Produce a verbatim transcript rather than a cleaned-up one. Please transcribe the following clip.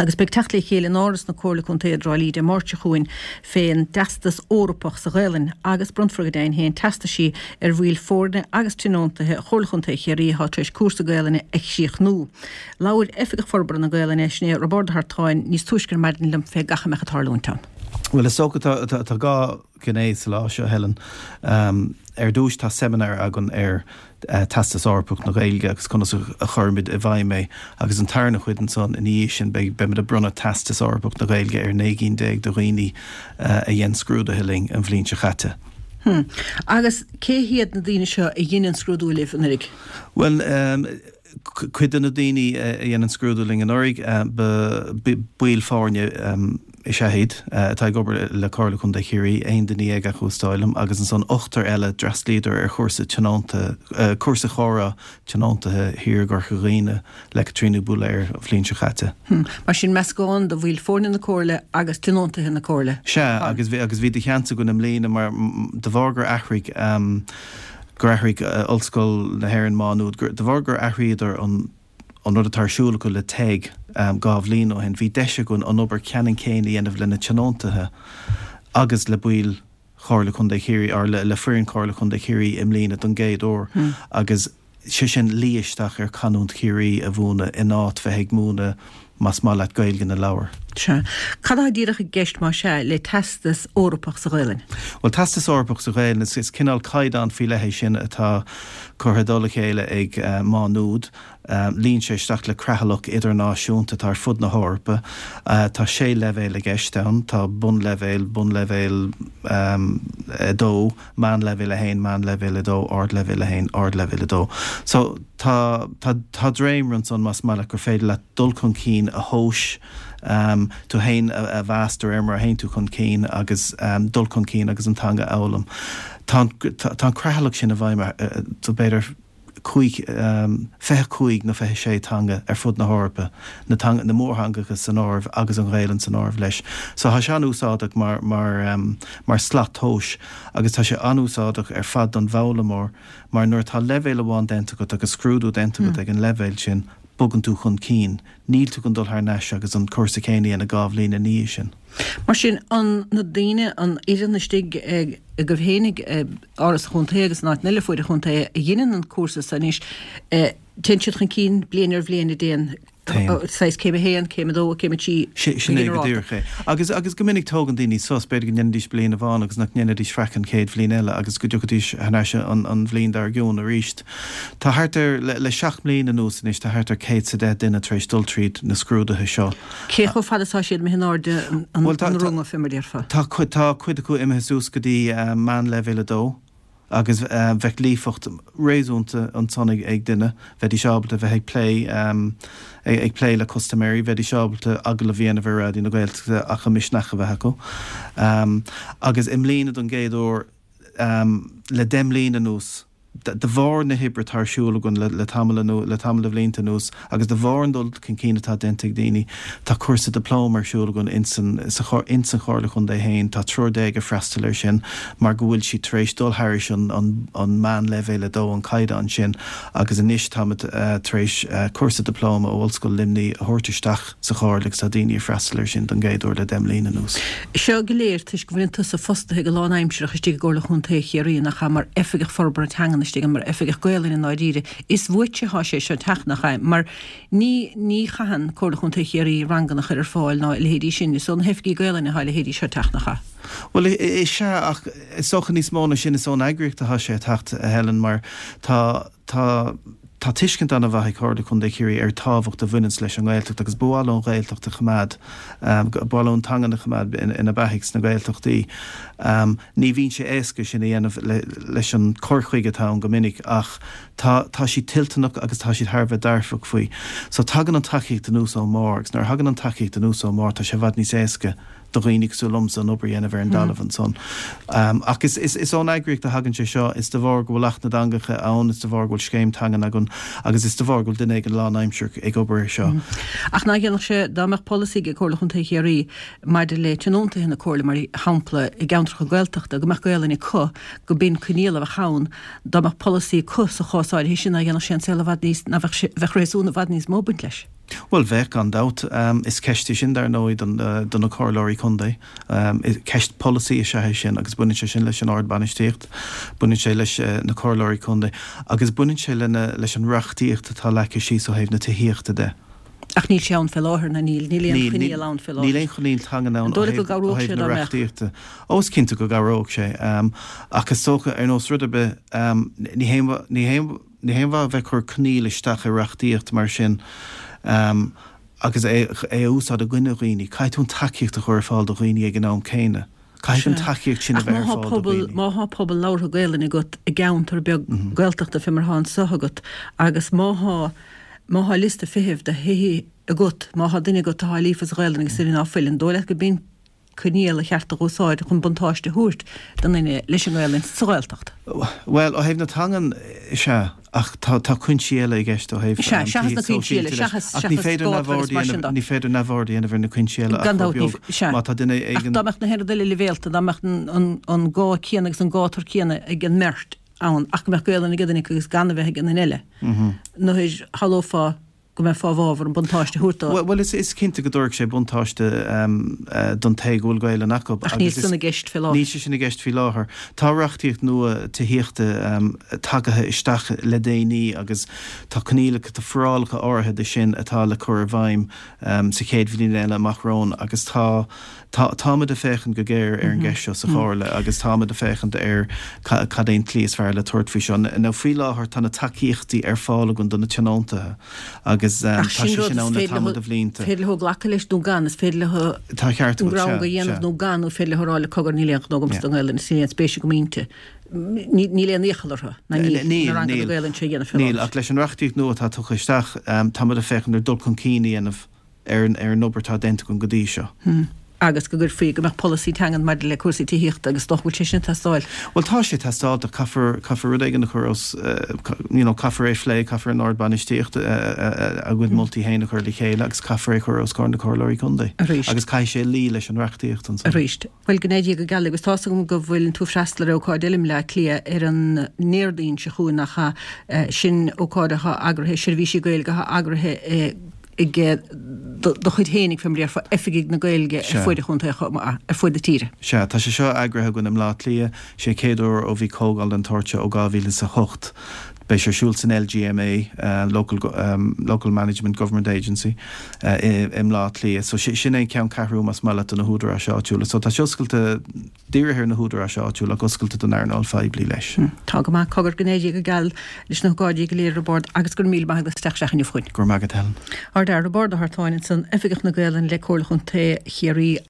Agus beidh teacht le chéile in Áras na Comhairle Contae i dTrá Lí Dé Máirt seo chugainn fén dTeastas Eorpach sa Ghaelainn agus bronnfar go deimhin féin teastaisí ar bhaill foirne agus tionóntaithe Chomhairle Chontae Chiarraí atá tar éis cúrsa Gaelainne a chríochnú. Labhair Oifigeach Forbartha na Gaelainne, sin é Roibeárd Ó hArtáin, níos túisce ar maidin liom fé gach a mbeadh ag tarlúint ann. Bhuel, is dócha tá tá dhá ghné sa lá seo, Helen. Ar dtús tá seimineár againn ar Teastas Eorpach na Gaeilge agus conas a chuirimid i bhfeidhm é agus an tarna chuid ansan ina dhiaidh sin beidh beimid ag bronnadh Teastas Eorpach na Gaeilge ar naoi gcinn déag de dhaoine a dhein scrúduithe linn an bhliain seo chaite. Hmm. Agus cé hiad na daoine seo a dhein an scrúdú libh anuraidh? Bhuel, cuid de na daoine a dhein an scrúdú linn anuraidh, ba baill foirne is ea iad atá ag obair le Comhairle Contae Chiarraí, aon duine dhéag acu is dóigh liom, agus ansan ochtar eile d'fhreastlaíodar ar chúrsa tionónta, cúrsa comhrá tionóntaithe thiar i gCorca Dhuibhne le Caitríona Bulair an bhliain seo caite. Mar sin meascán de bhaill foirne na Comhairle agus tionóntaithe na Comhairle. Sea, agus bhí agus bhí de sheans againn i mbliana mar de bharr gur athraigh gur athraigh Ollscoil na hÉireann Má Nuad, de bharr gur athraíodar an an rud atá ar siúl acu le TEG dhá bhliain ó shin, bhí deis againn an obair ceannann céanna a dhéanamh le na tionóntaithe agus le baill Chomhairle Contae Chiarraí, or le foireann Chomhairle Contae Chiarraí i mbliana don gcéad uair agus sé sin luí isteach ar chanúint Chiarraí a mhúineadh in áit bheith ag múineadh más maith leat Gaeilge na leabhar. Sea. Cad atá díreach i gceist más ea le Teastas Eorpach sa Ghaelainn? Bhuel, Teastas Eorpach sa Ghaelainn, is is cineál caighdeán faoi leith é sin atá curtha i dtoll a chéile ag Má Nuad. Luíonn sé isteach le creathlach idirnáisiúnta atá ar fud na hEorpa. Tá sé leibhéal i gceist ann, tá bunleibhéal, bunleibhéal a dó, meánleibhéal a haon, meánleibhéal a dó, ardleibhéal a haon, ardleibhéal a dó. So tá tá tá dréimire ansan más maith leat gur féidir leat dul chun cinn a thomhas, tú féin a mheas de réir mar a théann tú chun cinn agus dul chun cinn agus an teanga a fhoghlaim. Tá tá an creathlach sin i bhfeidhm do b'fhéidir cúig, fiche cúig nó fiche sé teanga ar fud na hEorpa, na teanga, na mórtheangacha san áireamh agus an Ghaelainn san áireamh leis. So tá sé an-úsáideach mar, mar, mar slat tomhais agus tá sé an-úsáideach ar fad don bhfoghlaimeoir mar nuair atá leibhéal amháin déanta agat agus scrúdú déanta agat ag an leibhéal sin, bogann tú chun cinn. Níl tú chun dul thar n-ais agus an cúrsa céanna a dhéanamh dhá bhliain ina dhiaidh sin. Mar sin, an na daoine, an fhoireann istigh agaibh fhéinig i Áras an Chontae agus in áiteanna eile fuaid an chontae a dheineann an cúrsa so anois, téann siad chun cinn bliain ar bhliain a dtéann saghas céim a haon, céim a dó, céim a trí go Sin é go díreach é. Agus agus go minic tógann daoine sos, b'fhéidir go ndéanfaidís bliain amháin agus nach ndéanfaidís faic an chéad bhliain eile agus go dtiocfaidís thar n-ais an an bhliain dár gcionn arís. Tá thart ar, le le seacht mbliana anuas anois, tá thart ar céad 's a deich duine tar éis dul tríd na scrúduithe seo. Cé chomh fada is atá siad imithe in airde an Bhuel tá an runga fé mar a déarfá? Tá cuid tá cuid acu imithe suas go dtí meánleibhéal a dó. Agus bheadh líofacht réasúnta ansan ag duine, bheidís ábalta bheith ag plé ag plé le custaiméirí, bheidís ábalta agallamh a dhéanamh ar Raidió na Gaeltachta ach an misneach a bheith acu. Agus i mbliana don gcéad uair le deich mbliana anuas, de bharr na hoibre atá ar siúl againn le tamall le tamall de bhlianta anuas agus de bharr an dul chun cinn atá déanta ag daoine, tá cúrsa dioplóma ar siúl againn insan insan Chomhairle Chontae féin, tá triúr déag ag freastal air sin mar go bhfuil siad tar éis dul thairis an an meánleibhéal a dó, an caighdeán sin, agus anois táimid tar éis cúrsa dioplóma ó Ollscoil Luimnigh a thabhairt isteach sa Chomhairle agus tá daoine ag freastal air sin don gcéad uair le deich mbliana anuas. Seo go léir toisc go bhfuileann tusa fostaithe go lánaimsearach istigh i gComhairle Chontae Chiarraí, nach ea, mar Oifigeach Forbartha Teangan istigh ann, mar Oifigeach Gaolainne i ndáiríre. Is uaitse atá sé seo ag teacht, nach ea, mar ní ní chaitheann Comhairle Chontae Chiarraí ranganna a chur ar fáil ná a leithéidí sin. Is ó na hoifigí Gaolainne atá a leithéidí seo ag teacht, nach ea? Bhuel, is ea, ach is dócha níos mó ná sin, is ón eagraíocht atá sé ag teacht, a Helen, mar tá tá Tá tuiscint an-mhaith ag Comhairle Contae Chiarraí ar tábhacht a bhaineanns leis an nGaeltacht agus ba mhaith leo an Ghaeltacht a choimeád, ba mhaith leo an teangan a choimeád ina beathaidh sna Gaeltachtaí. Ní bhíonn sé éasca sin a dhéanamh leis an cur chuige atá ann go minic ach tá tá siad toilteanach agus tá siad thar a bheith dearfach faoi. So tagann an tacaíocht anuas ón mbarr agus nuair a thagann an tacaíocht anuas ón mbarr tá sé i bhfad níos éasca do dhaoine cosúil liomsa an obair a dhéanamh ar an dtalamh ansan. Ach is is ón eagraíocht a thagann sé seo, is de bharr go bhfuil Acht na dTeangacha ann, is de bharr go bhfuil scéim teangan againn agus is de bharr go bhfuil duine éigin lánaimsearach ag obair air seo. Ach nach ndéanfadh sé, dá mbeadh polasaí ag Comhairle Chontae Chiarraí maidir le tionóntaithe na Comhairle, mar shampla, i gceantracha Gaeltachta, go mbeadh Gaolainn acu, go b'in coinníoll a bheadh ann, dá mbeadh polasaí acu sa chás áirithe sin, nach ndéanfadh sé an saol i bhfad níos, ná bheadh sé, bheadh réasún i bhfad níos mó ag baint leis? Bhuel, bheadh, gan dabht. Is ceist í sin, dar ndóigh, do na comhairleoirí contae. Ceist polasaí is ea é sin agus baineann sé sin leis an ardbhainistíocht, baineann sé leis na comhairleoirí contae agus baineann sé leis an reachtaíocht atá leagtha síos ó thaobh na tithíochta de. Ach níl sé ann fé láthair, ná níl? Níl aon choinníoll ann fé láthair. Níl aon choinníoll teangan ann ó thaobh na reachtaíochta. Ó, is cinnte go gcabhródh sé. Ach is dócha, ar nós rud ar bith, ní haon, ní haon, Ní haon mhaith a bheith ag cur coinníoll isteach i reachtaíocht mar sin agus é a úsáid i gcoinne dhaoine. Caithfidh tú an tacaíocht a chur ar fáil do dhaoine ag an am céanna. Caithfidh an tacaíocht sin a bheith ar fáil do dhaoine. Ach má thá pobal labhartha Gaelainne agat i gceantar beag Gaeltachta fé mar thá anso agat agus má thá má thá liosta feithimh do thithe agat, má thá duine agat athá líofa sa Ghaelainn agus duine ná fuil, an dóigh leat go b'in coinníoll a cheart a dh'úsáid chun buntáiste a thabhairt don duine leis an nGaelainn sa Ghaeltacht. Bhuel, ó thaobh na teangan, is ea, ach tá tá cuinsí eile i gceist ó thaobh Sea, seachas na cuinsí eile, seachas Ach ní seachas féidir gátar agus neamhaird a mar sin dhéanamh, de. ní féidir neamhaird a dhéanamh ar na cuinsí eile ach Gan chomh dabht, ní, beag. sea. Má tá duine Ach éigin. dá mbeadh na haon rud eile leibhéalta, dá mbeadh an an an gá céanna agus an gátar céanna ag an mbeirt ann ach go mbeadh Gaelainn ag duine acu agus gan a bheith ag an duine eile, nuair shamhlófá go mbeifeá i bhfabhar an buntáiste a thabhairt dó. Bhuel, is cinnte go dtabharfadh sé buntáiste don té go bhfuil Gaelainn acu. Ach níl san i gceist fé láthair. Níl sé sin i gceist faoi láthair. Tá reachtaíocht nua tithíochta tagaithe isteach le déanaí agus tá coinníollacha, tá forálacha áirithe de sin atá le cur i bhfeidhm sa chéad bhliain eile amach romhainn agus tá Tá, táimid ag féachaint go géar ar an gceist seo sa Chomhairle agus táimid ag féachaint ar cad é an tslí is fearr le tabhairt faoi seo. Now faoi láthair tá na tacaíochtaí ar fáil againn do na tionóntaithe agus tá Ach sin sé rud sin is ann le féidir tamall leo, de bhlianta. féidir leo glacadh leis nó gan, is féidir leo Tá ceart an agat, rogha sea, a dhéanamh sea. nó gan, nó féidir leo a rá le cogar níl aon ghnó agamsa Yeah. don Ghaelainn, is níl aon spéis agam inti. Ní, níl aon iachall orthu, ná níl, Níl, na ranganna níl. Gaelainne seo a dhéanamh fé Níl, láthair. ach leis an reachtaíocht nua atá tugtha isteach, táimid ag féachaint ar dul chun cinn a dhéanamh ar an obair atá déanta againn go dtí seo. Agus go gcuirfí, go mbeadh polasaí teangan maidir le cúrsaí tithíochta agus dócha go bhfuil sé sin ag teastáil. Bhuel tá sé ag teastáil, caithfear, caithfear rud éigin a chur os, you know, caithfear é a phlé, caithfear an ardbhainistíocht a gcuid moltaí féin a chur le chéile agus caithfear é a chur os comhair na comhairleoirí contae. Arís. Agus caithfidh sé luí leis an reachtaíocht ansan. Arís. Bhuel, go n-éire Dia go geal agus tá's agam go bhfuileann tú ag freastal ar ócáid eile i mBleá Cliath ar an nDéardaoin seo chugainn nach ea? Sin ócáid atá eagraithe, seirbhísí Gaeilge atá eagraithe i ag do chuid fhéinig, fé mar a déarfá, oifigigh na Gaeilge ar fuaid an chontae chomh maith, ar fuaid na tíre. Sea, tá sé seo eagraithe againn i mBleá Cliath, sé an chéad uair ó bhí comhdháil den tsórt seo ó dhá mhíle is a hocht. Beidh sé ar siúl san L G M A, Local Local Management Government Agency, i mBleá Cliath. So sin é an ceanncheathrú más maith leat do na húdaráis áitiúla. So tá sé oscailte, dírithe ar na húdaráis áitiúla ach oscailte don earnáil phoiblí leis. Tá go maith. Cogar, go n-éirí Dia go geal leis na hócáidí go léir Roibeárd agus go raibh míle maith agat as teacht isteach inniu chugainn. Go raibh maith agat Helen. Ár dTaire Roibeárd Ó hArtáin ansan, Oifigeach na Gaelainne le Comhairle Chontae Chiarraí.